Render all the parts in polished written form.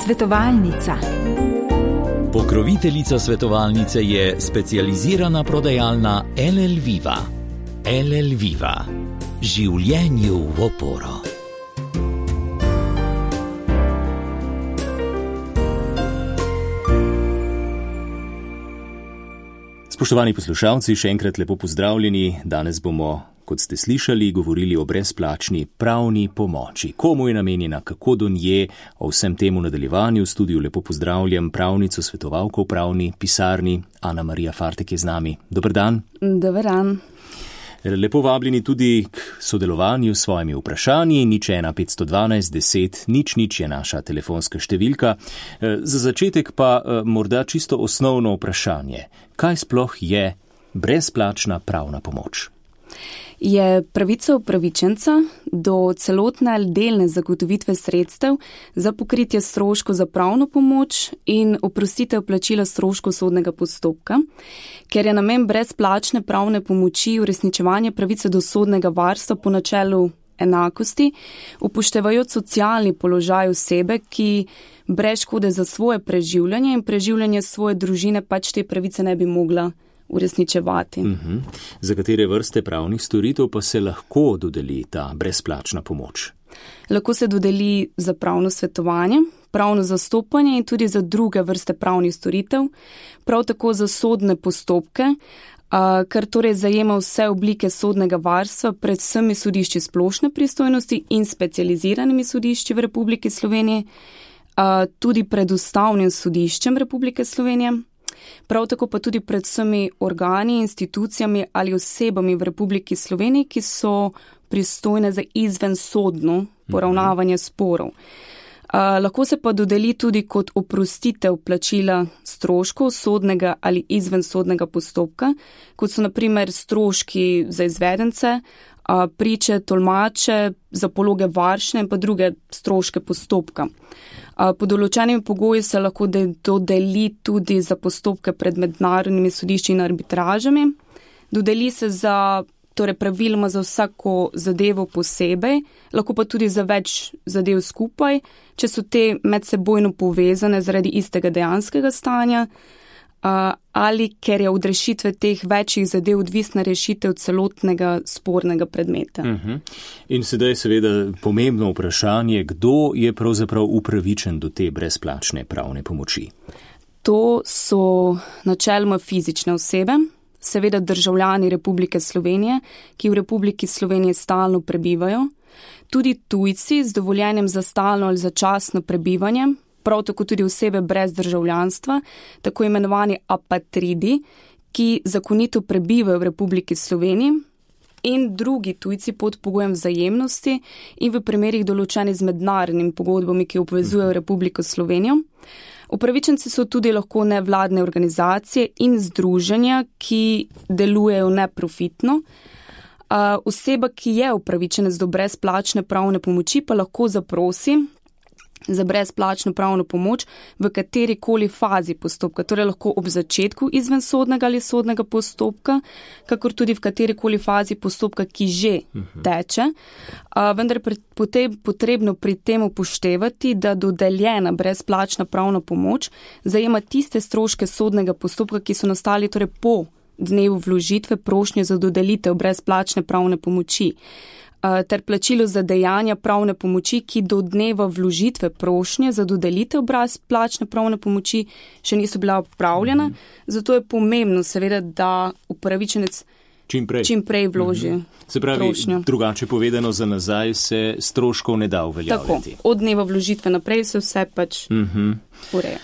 Svetovalnica. Pokroviteljica svetovalnice je specializirana prodajalna LL Viva. LL Viva. Življenju v oporo. Spoštovani poslušalci, še enkrat lepo pozdravljeni. Danes bomo, kot ste slišali, govorili o brezplačni pravni pomoči. Komu je namenjena, kako do nje, o vsem temu nadaljevanju. V studiu lepo pozdravljam pravnico, svetovalko v pravni pisarni. Ana Marija Fartek je z nami. Dober dan. Dober dan. Lepo vabljeni tudi k sodelovanju s svojimi vprašanji. 01 512 10 00 je naša telefonska številka. Za začetek pa morda čisto osnovno vprašanje. Kaj sploh je brezplačna pravna pomoč? Je pravica upravičenca do celotne ali delne zagotovitve sredstev za pokritje stroškov za pravno pomoč in oprostitev plačila stroškov sodnega postopka, ker je namen brezplačne pravne pomoči uresničevanje pravice do sodnega varstva po načelu enakosti, upoštevajoč socialni položaj osebe, ki brez škode za svoje preživljanje in preživljanje svoje družine pač te pravice ne bi mogla uresničevati. Za katere vrste pravnih storitev pa se lahko dodeli ta brezplačna pomoč? Lahko se dodeli za pravno svetovanje, pravno zastopanje in tudi za druge vrste pravnih storitev, prav tako za sodne postopke, kar torej zajema vse oblike sodnega varstva pred vsemi sodišči splošne pristojnosti in specializiranimi sodišči v Republiki Sloveniji, tudi pred Ustavnim sodiščem Republike Slovenije, prav tako pa tudi pred vsemi organi, institucijami ali osebami v Republiki Sloveniji, ki so pristojne za izvensodno poravnavanje sporov. Lahko se pa dodeli tudi kot oprostitev plačila stroškov sodnega ali izvensodnega postopka, kot so na primer stroški za izvedence, priče, tolmače, za pologe varšne in pa druge stroške postopka. Po določenimi pogoji se lahko dodeli tudi za postopke pred mednarodnimi sodišči in arbitražami. Dodeli se praviloma za vsako zadevo posebej, lahko pa tudi za več zadev skupaj, če so te medsebojno povezane zaradi istega dejanskega stanja, ali ker je od rešitve teh večjih zadev odvisna rešitev celotnega spornega predmeta. In sedaj seveda pomembno vprašanje, kdo je pravzaprav upravičen do te brezplačne pravne pomoči? To so načeloma fizične osebe, seveda državljani Republike Slovenije, ki v Republiki Sloveniji stalno prebivajo, tudi tujci z dovoljenjem za stalno ali začasno prebivanje, prav tako tudi osebe brez državljanstva, tako imenovani apatridi, ki zakonito prebivajo v Republiki Sloveniji, in drugi tujci pod pogojem vzajemnosti in v primerih določenih z mednarodnimi pogodbami, ki obvezujejo Republiko Slovenijo. Upravičenci so tudi lahko nevladne organizacije in združenja, ki delujejo neprofitno. Oseba, ki je upravičenec do brezplačne pravne pomoči, pa lahko zaprosi za brezplačno pravno pomoč v katerikoli fazi postopka, torej lahko ob začetku izvensodnega ali sodnega postopka, kakor tudi v katerikoli fazi postopka, ki že teče. Vendar je potrebno pri tem upoštevati, da dodeljena brezplačna pravna pomoč zajema tiste stroške sodnega postopka, ki so nastali torej po dnevu vložitve prošnje za dodelitev brezplačne pravne pomoči, ter plačilo za dejanja pravne pomoči, ki do dneva vložitve prošnje za dodelitev brezplačne pravne pomoči še niso bila opravljena. Zato je pomembno seveda, da upravičenec čim prej vloži Se pravi, prošnjo. Drugače povedano, za nazaj se stroškov ne da uveljavljati. Tako, od dneva vložitve naprej se vse pač ureja.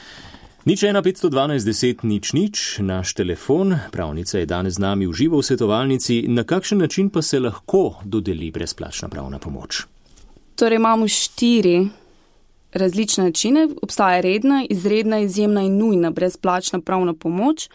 01 512 10 00, naš telefon. Pravnica je danes z nami v živo v svetovalnici. Na kakšen način pa se lahko dodeli brezplačna pravna pomoč? Torej imamo 4 različne načine. Obstaja redna, izredna, izjemna in nujna brezplačna pravna pomoč.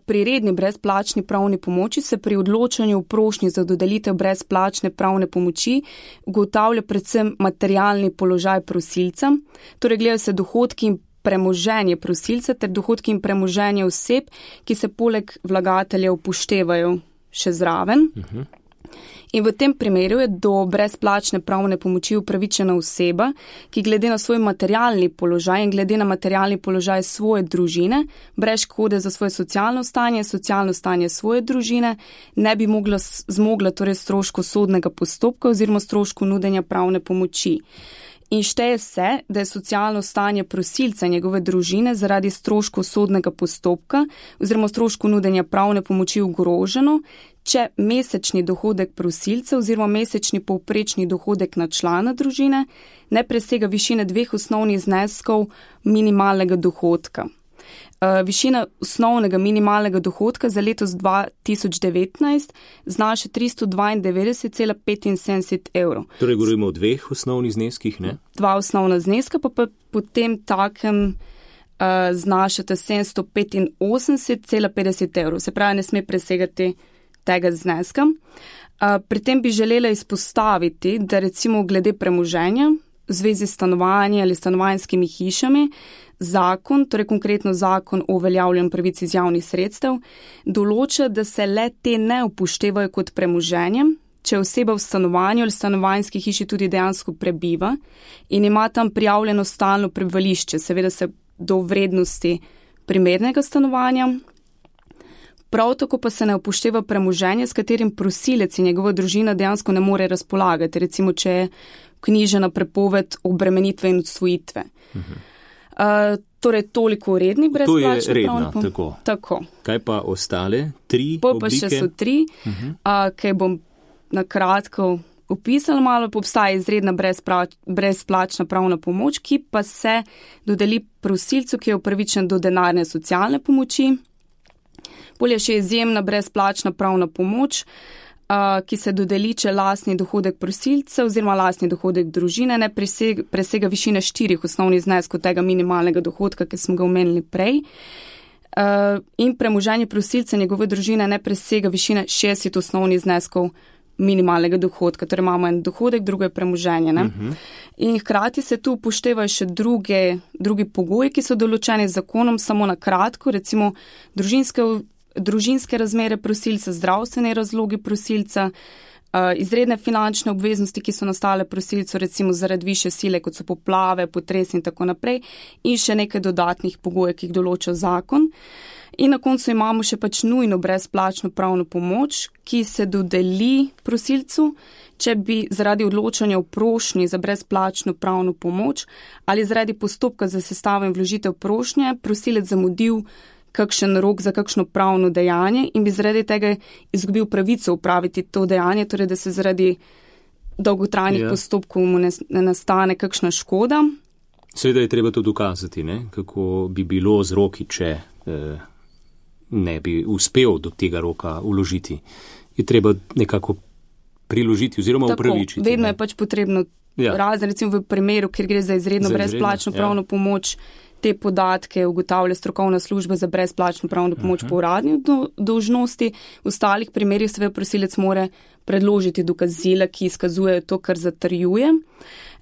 Pri redni brezplačni pravni pomoči se pri odločanju o prošnji za dodelitev brezplačne pravne pomoči ugotavlja predvsem materialni položaj prosilca, torej gledajo se dohodki in premoženje prosilca ter dohodki in premoženje oseb, ki se poleg vlagatelja upoštevajo še zraven. In v tem primeru je do brezplačne pravne pomoči upravičena oseba, ki glede na svoj materialni položaj in glede na materialni položaj svoje družine, brez škode za svoje socialno stanje svoje družine, ne bi zmogla torej stroškov sodnega postopka oziroma stroškov nudenja pravne pomoči. In šteje se, da je socialno stanje prosilca in njegove družine zaradi stroškov sodnega postopka oziroma stroškov nudenja pravne pomoči ogroženo, če mesečni dohodek prosilca oziroma mesečni povprečni dohodek na člana družine ne presega višine 2 osnovnih zneskov minimalnega dohodka. Višina osnovnega minimalnega dohodka za letos 2019 znaša 392,75 evrov. Torej govorimo o 2 osnovnih zneskih, ne? 2 osnovna zneska pa potem takem znašata 785,50 evrov. Se pravi, ne sme presegati tega zneska. Pri tem bi želela izpostaviti, da recimo glede premoženja v zvezi s stanovanji ali stanovanjskimi hišami, zakon, torej konkretno zakon o uveljavljanju pravic iz javnih sredstev, določa, da se le te ne upoštevajo kot premoženje, če oseba v stanovanju ali stanovanjski hiši tudi dejansko prebiva in ima tam prijavljeno stalno prebivališče, seveda se do vrednosti primernega stanovanja. Prav tako pa se ne upošteva premoženje, s katerim prosilec in njegova družina dejansko ne more razpolagati, recimo če je knjižena prepoved obremenitve in odsvojitve. Torej toliko redni brezplačni. To je redna, tako. Kaj pa ostale 3 oblike? Pa še so 3, kaj bom na kratko opisala malo, obstaja izredna brezplačna pravna pomoč, ki pa se dodeli prosilcu, ki je upravičen do denarne socialne pomoči. Bolje še izjemna brezplačna pravna pomoč, ki se dodeli, če lastni dohodek prosilca oziroma lastni dohodek družine ne presega višine 4 osnovnih zneskov tega minimalnega dohodka, ki smo ga omenili prej, in premoženje prosilca njegove družine ne presega višine 60 osnovnih zneskov minimalnega dohodka. Torej imamo en dohodek, drugo je premoženje. In hkrati se tu upoštevajo še drugi pogoji, ki so določeni z zakonom, samo na kratko, recimo družinske razmere prosilca, zdravstvene razlogi prosilca, izredne finančne obveznosti, ki so nastale prosilcu, recimo zaradi višje sile, kot so poplave, potresi in tako naprej, in še nekaj dodatnih pogojev, ki jih določa zakon. In na koncu imamo še pač nujno brezplačno pravno pomoč, ki se dodeli prosilcu, če bi zaradi odločanja o prošnji za brezplačno pravno pomoč ali zaradi postopka za sestavo in vložitev prošnje prosilec zamudil kakšen rok za kakšno pravno dejanje in bi zaradi tega izgubil pravico upraviti to dejanje, torej da se zaradi dolgotrajnih postopkov mu ne nastane kakšna škoda. Seveda je treba to dokazati, ne? Kako bi bilo z roki, če ne bi uspel do tega roka uložiti. Je treba nekako priložiti oziroma upravičiti. Vedno je pač potrebno razen, recimo v primeru, kjer gre za izredno brezplačno pravno pomoč, te podatke ugotavlja strokovna služba za brezplačno pravno pomoč po uradni dolžnosti. V ostalih primerih seveda prosilec mora predložiti dokazila, ki izkazujejo to, kar zatrjuje.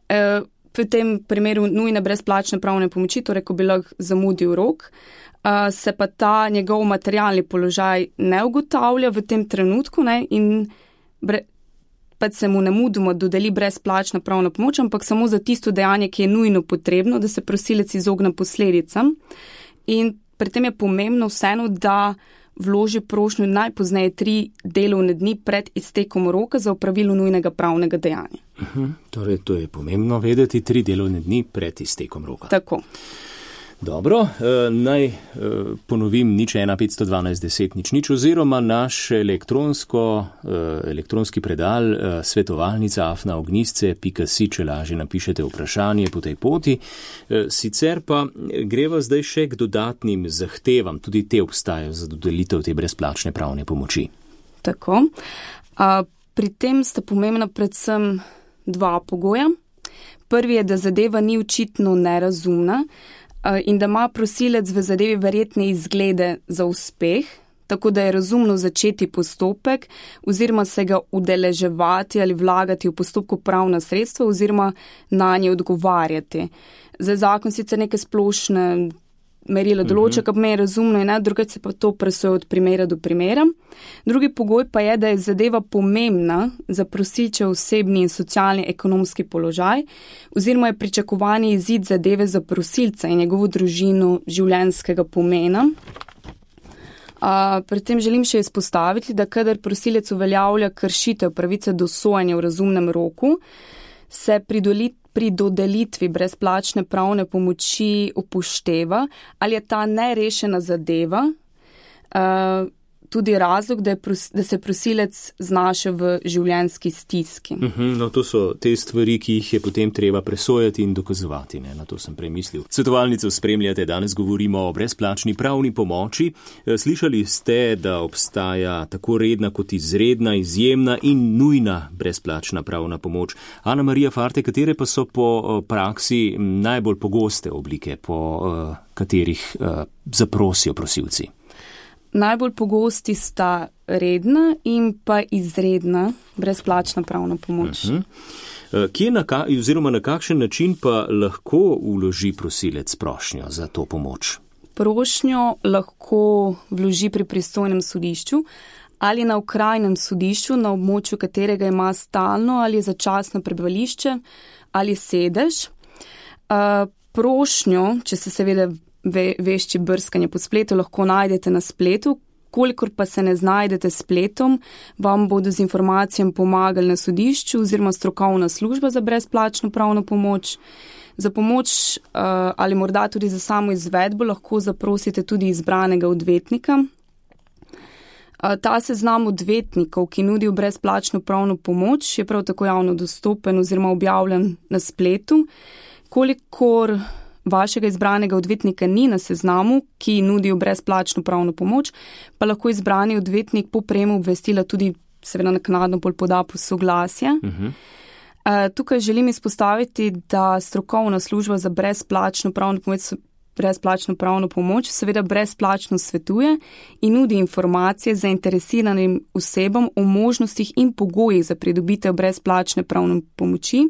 V tem primeru nujne brezplačne pravne pomoči, torej ko bi lahko zamudil rok, se pa ta njegov materialni položaj ne ugotavlja v tem trenutku, ne, in pa se mu nemudoma dodeli brezplačna pravna pomoč, ampak samo za tisto dejanje, ki je nujno potrebno, da se prosilec izogne posledicam. In pri tem je pomembno vseeno, da vloži prošnjo najpozneje 3 delovne dni pred iztekom roka za opravilo nujnega pravnega dejanja. Torej, to je pomembno vedeti, 3 delovne dni pred iztekom roka. Tako. Dobro, naj ponovim 015121000 oziroma naš elektronski predal svetovalnica@ognisce.si, če lažje napišete vprašanje po tej poti. Sicer pa greva zdaj še k dodatnim zahtevam, tudi te obstajajo za dodelitev te brezplačne pravne pomoči. Tako. Pri tem sta pomembna predvsem 2 pogoja. Prvi je, da zadeva ni očitno nerazumna, in da ima prosilec v zadevi verjetne izglede za uspeh, tako da je razumno začeti postopek oziroma se ga udeleževati ali vlagati v postopku pravna sredstva oziroma na nje odgovarjati. Za zakon sicer neke splošne merilo določa, kar me je razumno in drugače se pa to presoja od primera do primera. Drugi pogoj pa je, da je zadeva pomembna za prosilčev osebni in socialni ekonomski položaj oziroma je pričakovani izid zadeve za prosilca in njegovo družino življenjskega pomena. Pri tem želim še izpostaviti, da kadar prosilec uveljavlja kršitev pravice do sojanja v razumnem roku, se pri dodelitvi brezplačne pravne pomoči upošteva, ali je ta nerešena zadeva, tudi razlog, da se prosilec znaše v življenjski stiski. No, to so te stvari, ki jih je potem treba presojati in dokazovati, ne? Na to sem premislil. Svetovalnico spremljate, danes govorimo o brezplačni pravni pomoči. Slišali ste, da obstaja tako redna kot izredna, izjemna in nujna brezplačna pravna pomoč. Ana Marija Farte, katere pa so po praksi najbolj pogoste oblike, po katerih zaprosijo prosilci? Najbolj pogosti sta redna in pa izredna brezplačna pravna pomoč. Kje oziroma na kakšen način pa lahko vloži prosilec prošnjo za to pomoč? Prošnjo lahko vloži pri pristojnem sodišču ali na okrajnem sodišču, na območju katerega ima stalno ali začasno prebivališče ali sedež. Prošnjo, če se seveda vešči brskanje po spletu, lahko najdete na spletu. Kolikor pa se ne znajdete s spletom, vam bodo z informacijami pomagali na sodišču oziroma strokovna služba za brezplačno pravno pomoč. Za pomoč ali morda tudi za samo izvedbo lahko zaprosite tudi izbranega odvetnika. Ta seznam odvetnikov, ki nudijo brezplačno pravno pomoč, je prav tako javno dostopen oziroma objavljen na spletu. Kolikor vašega izbranega odvetnika ni na seznamu, ki nudijo brezplačno pravno pomoč, pa lahko izbrani odvetnik po prejemu obvestila tudi seveda naknadno poda soglasje. Tukaj želim izpostaviti, da strokovna služba za brezplačno pravno pomoč seveda brezplačno svetuje in nudi informacije zainteresiranim osebam o možnostih in pogojih za pridobitev brezplačne pravne pomoči,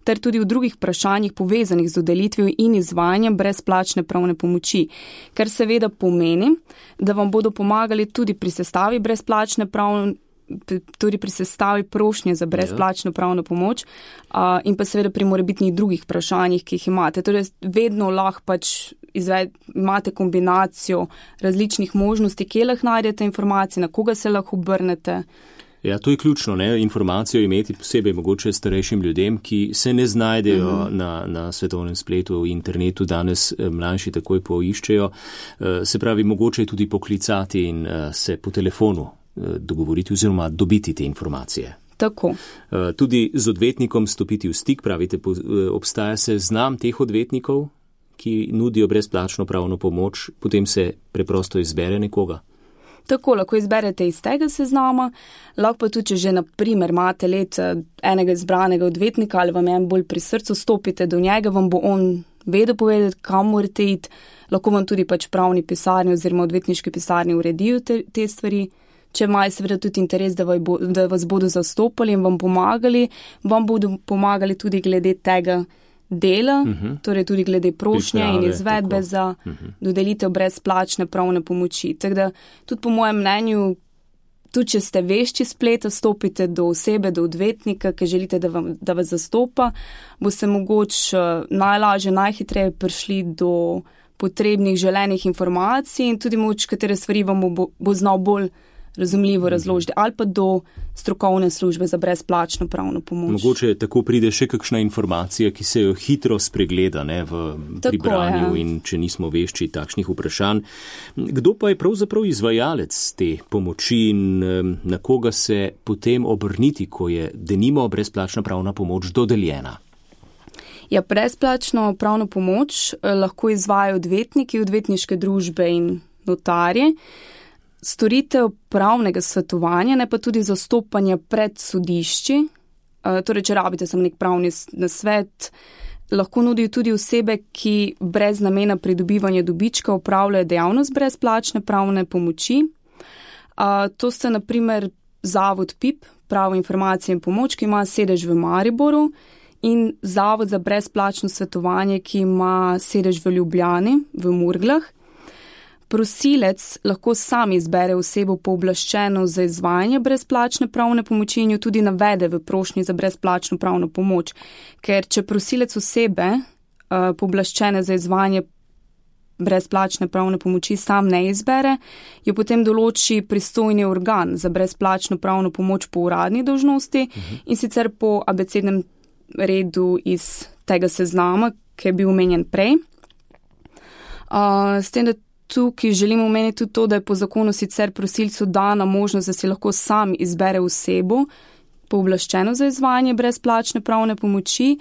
ter tudi v drugih vprašanjih povezanih z dodelitvijo in izvajanjem brezplačne pravne pomoči, kar seveda pomeni, da vam bodo pomagali tudi pri sestavi pri sestavi prošnje za brezplačno pravno pomoč in pa seveda pri morebitnih drugih vprašanjih, ki jih imate. Torej, vedno lahko imate kombinacijo različnih možnosti, kje lahko najdete informacije, na koga se lahko obrnete. Ja, to je ključno, ne? Informacijo imeti posebej mogoče starejšim ljudem, ki se ne znajdejo na svetovnem spletu, v internetu, danes mlajši takoj poiščejo. Se pravi, mogoče je tudi poklicati in se po telefonu dogovoriti oziroma dobiti te informacije. Tako. Tudi z odvetnikom stopiti v stik, pravite, obstaja seznam teh odvetnikov, ki nudijo brezplačno pravno pomoč, potem se preprosto izbere nekoga. Tako, lahko izberete iz tega seznama, lahko pa tudi, če že na primer imate enega izbranega odvetnika ali vam je bolj pri srcu, stopite do njega, vam bo on vedel povedati, kam morate iti, lahko vam tudi pravni pisarni oziroma odvetniški pisarni uredijo te stvari. Če imajo seveda tudi interes, da vas bodo zastopali in vam bodo pomagali tudi glede tega dela, torej tudi glede prošnje in izvedbe za dodelitev brezplačne pravne pomoči. Tako da tudi po mojem mnenju, tudi če ste vešči spleta, stopite do osebe, do odvetnika, ki želite, da vas zastopa, boste mogoče najlažje, najhitreje prišli do potrebnih želenih informacij in tudi mogoče katere stvari vam bo znal bolj razumljivo razložiti, ali pa do strokovne službe za brezplačno pravno pomoč. Mogoče tako pride še kakšna informacija, ki se jo hitro spregleda pri branju in če nismo vešči takšnih vprašanj. Kdo pa je pravzaprav izvajalec te pomoči in na koga se potem obrniti, ko je denimo brezplačna pravna pomoč dodeljena? Ja, brezplačno pravno pomoč lahko izvajajo odvetniki, odvetniške družbe in notarje. Storitev pravnega svetovanja, ne pa tudi zastopanja pred sodišči, torej če rabite samo nek pravni nasvet, lahko nudijo tudi osebe, ki brez namena pridobivanja dobička opravljajo dejavnost brezplačne pravne pomoči. To sta na primer Zavod PIP, Pravo informacije in pomoč, ki ima sedež v Mariboru in Zavod za brezplačno svetovanje, ki ima sedež v Ljubljani, v Murglah. Prosilec lahko sam izbere osebo pooblaščeno za izvajanje brezplačne pravne pomoči in jo tudi navede v prošnji za brezplačno pravno pomoč. Ker če prosilec osebe pooblaščene za izvajanje brezplačne pravne pomoči sam ne izbere, jo potem določi pristojni organ za brezplačno pravno pomoč po uradni dolžnosti in sicer po abecednem redu iz tega seznama, ki je bil omenjen prej. S tem, da tukaj želimo omeniti tudi to, da je po zakonu sicer prosilcu dana možnost, da si lahko sam izbere osebo pooblaščeno za izvajanje brezplačne pravne pomoči,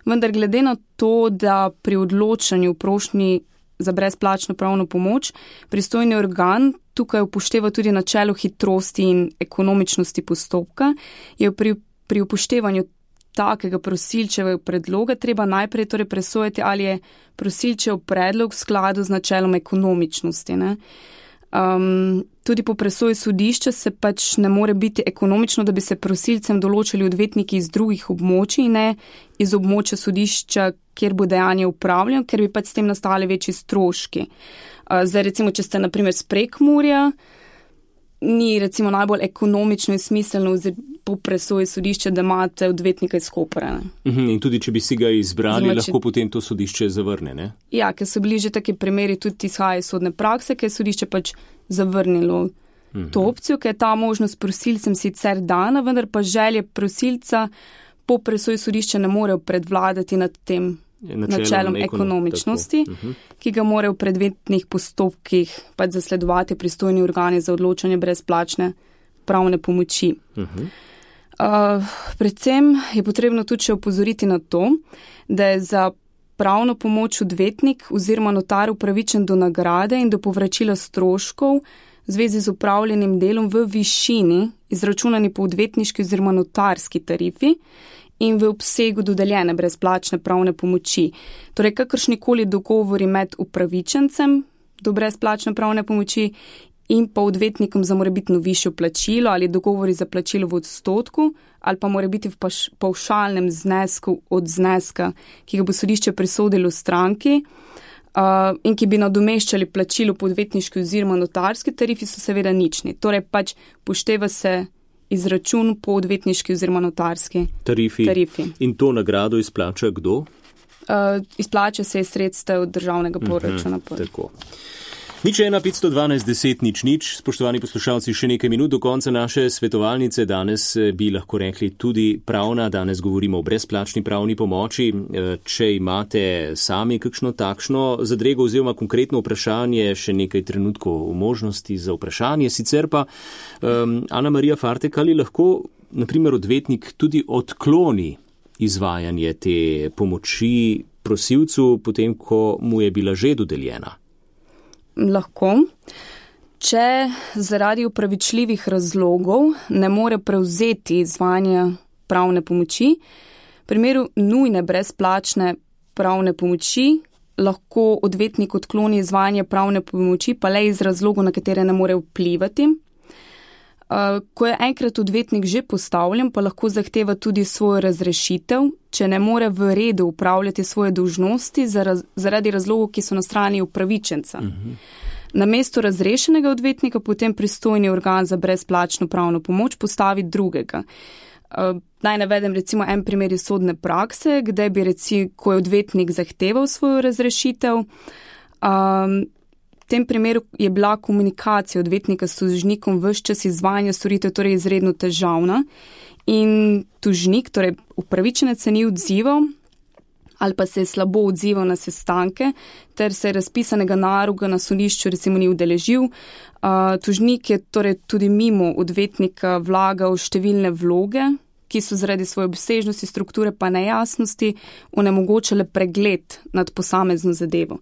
vendar glede na to, da pri odločanju v prošnji za brezplačno pravno pomoč pristojni organ tukaj upošteva tudi načelo hitrosti in ekonomičnosti postopka, je pri upoštevanju takega prosilčevega predloga treba najprej torej presojati, ali je prosilčev predlog v skladu z načelom ekonomičnosti. Tudi po presoji sodišča se pač ne more biti ekonomično, da bi se prosilcem določili odvetniki iz drugih območij, ne iz območja sodišča, kjer bo dejanje upravljeno, ker bi pač s tem nastali večji stroški. Zdaj recimo, če ste na primer s Prekmurja, ni recimo najbolj ekonomično in smiselno po presoji sodišča, da imate odvetnika iz Kopra. In tudi, če bi si ga izbrali, lahko potem to sodišče zavrne, ne? Ja, ker so bili že taki primeri tudi izhajajo iz sodne prakse, ker je sodišče pač zavrnilo to opcijo, ker je ta možnost prosilcem sicer dana, vendar pa želje prosilca po presoji sodišča ne morejo predvladati nad tem načelom ekonomičnosti, ki ga morajo v predmetnih postopkih pač zasledovati pristojni organi za odločanje brezplačne pravne pomoči. Predvsem je potrebno tudi še opozoriti na to, da je za pravno pomoč odvetnik oziroma notar upravičen do nagrade in do povračila stroškov v zvezi z upravljenim delom v višini, izračunani po odvetniški oziroma notarski tarifi, in v obsegu dodeljene brezplačne pravne pomoči. Torej, kakršnikoli dogovori med upravičencem do brezplačne pravne pomoči in pa odvetnikom za morebitno višjo plačilo ali dogovori za plačilo v odstotku ali pa mora biti v pavšalnem znesku od zneska, ki ga bo sodišče prisodilo stranki in ki bi nadomeščali plačilo po odvetniški oziroma notarski tarifi, so seveda nični. Torej, pač pošteva se izračun po odvetniški oziroma notarski tarifi. In to nagrado izplača kdo? Izplača se iz sredstev državnega proračuna. Tako. 015121000, spoštovani poslušalci, še nekaj minut do konca naše svetovalnice. Danes bi lahko rekli tudi pravna, danes govorimo o brezplačni pravni pomoči. Če imate sami kakšno takšno zadrego oziroma konkretno vprašanje, še nekaj trenutkov v možnosti za vprašanje. Sicer pa, Ana Marija Fartek, ali lahko, na primer, odvetnik tudi odkloni izvajanje te pomoči prosilcu, potem ko mu je bila že dodeljena? Lahko. Če zaradi upravičljivih razlogov ne more prevzeti izvajanja pravne pomoči, v primeru nujne brezplačne pravne pomoči lahko odvetnik odkloni izvajanje pravne pomoči, pa le iz razlogov, na katere ne more vplivati. Ko je enkrat odvetnik že postavljen, pa lahko zahteva tudi svojo razrešitev, če ne more v redu upravljati svoje dolžnosti zaradi razlogov, ki so na strani upravičenca. Namesto razrešenega odvetnika potem pristojni organ za brezplačno pravno pomoč postavi drugega. Naj navedem recimo en primer iz sodne prakse, kde bi ko je odvetnik zahteval svojo razrešitev, v tem primeru je bila komunikacija odvetnika s tožnikom ves čas izvajanja storitev torej izredno težavna in tožnik, torej upravičenec se ni odzival ali pa se je slabo odzival na sestanke ter se razpisanega naroka na sodišču recimo ni udeležil. Tožnik je torej tudi mimo odvetnika vlagal številne vloge, ki so zaradi svoje obsežnosti, strukture pa nejasnosti onemogočale pregled nad posamezno zadevo.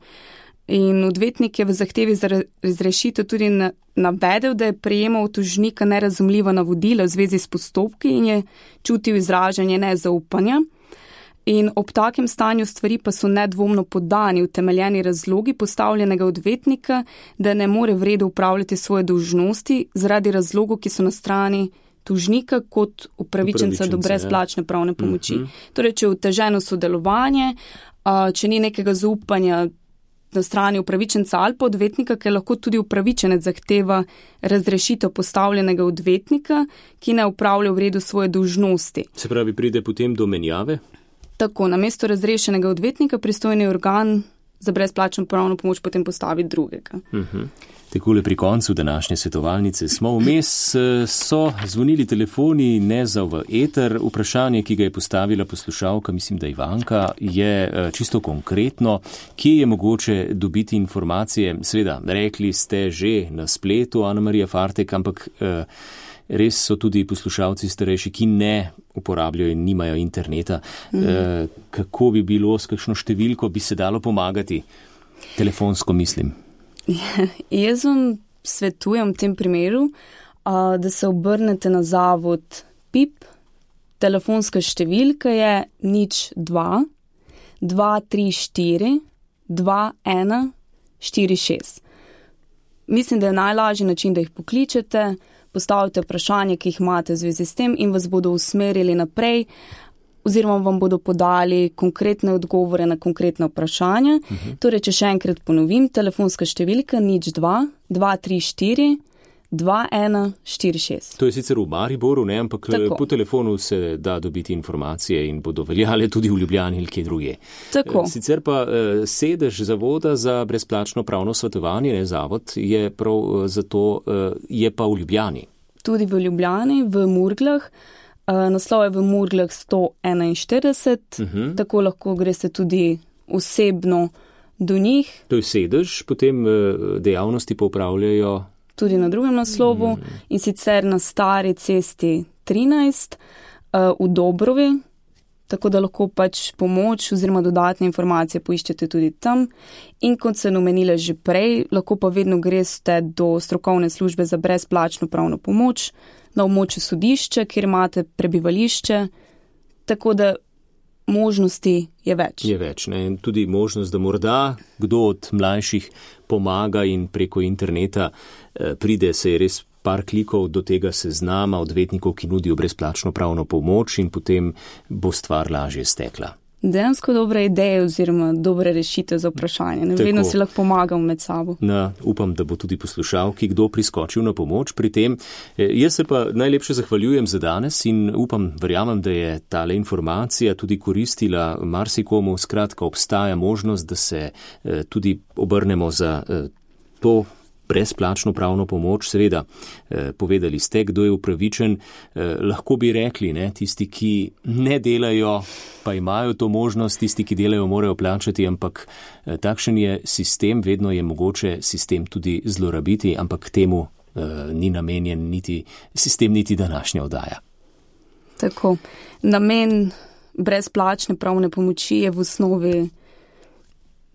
In odvetnik je v zahtevi za razrešitev tudi navedel, da je prejemal od tožnika nerazumljiva navodila v zvezi s postopki in je čutil izražanje nezaupanja. In ob takem stanju stvari pa so nedvomno podani utemeljeni razlogi postavljenega odvetnika, da ne more v redu upravljati svoje dolžnosti zaradi razlogov, ki so na strani tožnika kot upravičenca do brezplačne pravne pomoči. Torej, če je oteženo sodelovanje, če ni nekega zaupanja na strani upravičenca ali pa odvetnika, ker lahko tudi upravičenec zahteva razrešitev postavljenega odvetnika, ki ne upravlja v redu svoje dolžnosti. Se pravi, pride potem do menjave? Tako, namesto razrešenega odvetnika pristojni organ za brezplačno pravno pomoč potem postavi drugega. Takole pri koncu današnje svetovalnice smo. Vmes so zvonili telefoni, ne za v eter. Vprašanje, ki ga je postavila poslušalka, mislim, da Ivanka, je čisto konkretno. Kje je mogoče dobiti informacije? Seveda, rekli ste že na spletu, Ana Marija Fartek, ampak res so tudi poslušalci starejši, ki ne uporabljajo in nimajo interneta. Kako bi bilo, s kakšno številko bi se dalo pomagati? Telefonsko mislim. Jaz vam svetujem v tem primeru, da se obrnete na zavod PIP. Telefonska številka je 02 234 2146. Mislim, da je najlažji način, da jih pokličete, postavite vprašanje, ki jih imate v zvezi s tem in vas bodo usmerili naprej, oziroma vam bodo podali konkretne odgovore na konkretne vprašanja. Torej, če še enkrat ponovim, telefonska številka 02 234 2146. To je sicer v Mariboru, ne, ampak tako. Po telefonu se da dobiti informacije in bodo veljale tudi v Ljubljani ali kje drugje. Tako. Sicer pa sedež Zavoda za brezplačno pravno svetovanje, ne, zavod, je prav zato, je pa v Ljubljani. Tudi v Ljubljani, v Murglah. Naslov je v Murglah 141, tako lahko greste tudi osebno do njih. To je sedež, potem dejavnosti pa upravljajo tudi na drugem naslovu in sicer na Stari cesti 13 v Dobrovi, tako da lahko pač pomoč oziroma dodatne informacije poiščete tudi tam. In kot sem omenila že prej, lahko pa vedno greste do strokovne službe za brezplačno pravno pomoč na območju sodišča, kjer imate prebivališče, tako da možnosti je več. Je več, ne? In tudi možnost, da morda kdo od mlajših pomaga in preko interneta pride, se je res par klikov do tega seznama odvetnikov, ki nudijo brezplačno pravno pomoč in potem bo stvar lažje stekla. Dejansko dobre ideje oziroma dobre rešitve za vprašanje. Vedno si lahko pomagam med sabo. Upam, da bo tudi poslušalki kdo priskočil na pomoč pri tem. Jaz se pa najlepše zahvaljujem za danes in verjamem, da je tale informacija tudi koristila marsikomu. Skratka, obstaja možnost, da se tudi obrnemo za to brezplačno pravno pomoč. Seveda, povedali ste, kdo je upravičen. Lahko bi rekli, ne, tisti, ki ne delajo, pa imajo to možnost, tisti, ki delajo, morajo plačati, ampak takšen je sistem, vedno je mogoče sistem tudi zlorabiti, ampak temu ni namenjen niti sistem, niti današnja oddaja. Tako. Namen brezplačne pravne pomoči je v osnovi,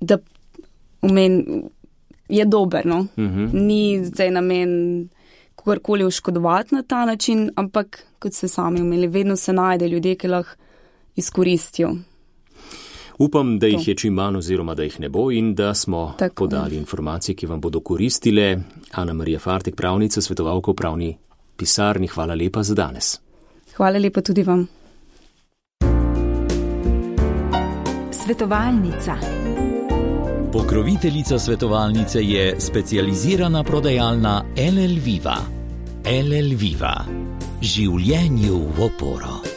da je dober, no? Ni zdaj namen kogarkoli oškodovati na ta način, ampak, kot ste sami omenili, vedno se najde ljudje, ki lahko izkoristijo. Upam, da jih je čim manj oziroma da jih ne bo in da smo podali informacije, ki vam bodo koristile. Ana Marija Fartek, pravnica, svetovalka v pravni pisarni, hvala lepa za danes. Hvala lepa tudi vam. Svetovalnica. Pokroviteljica svetovalnice je specializirana prodajalna LL Viva. LL Viva. Življenju v oporo.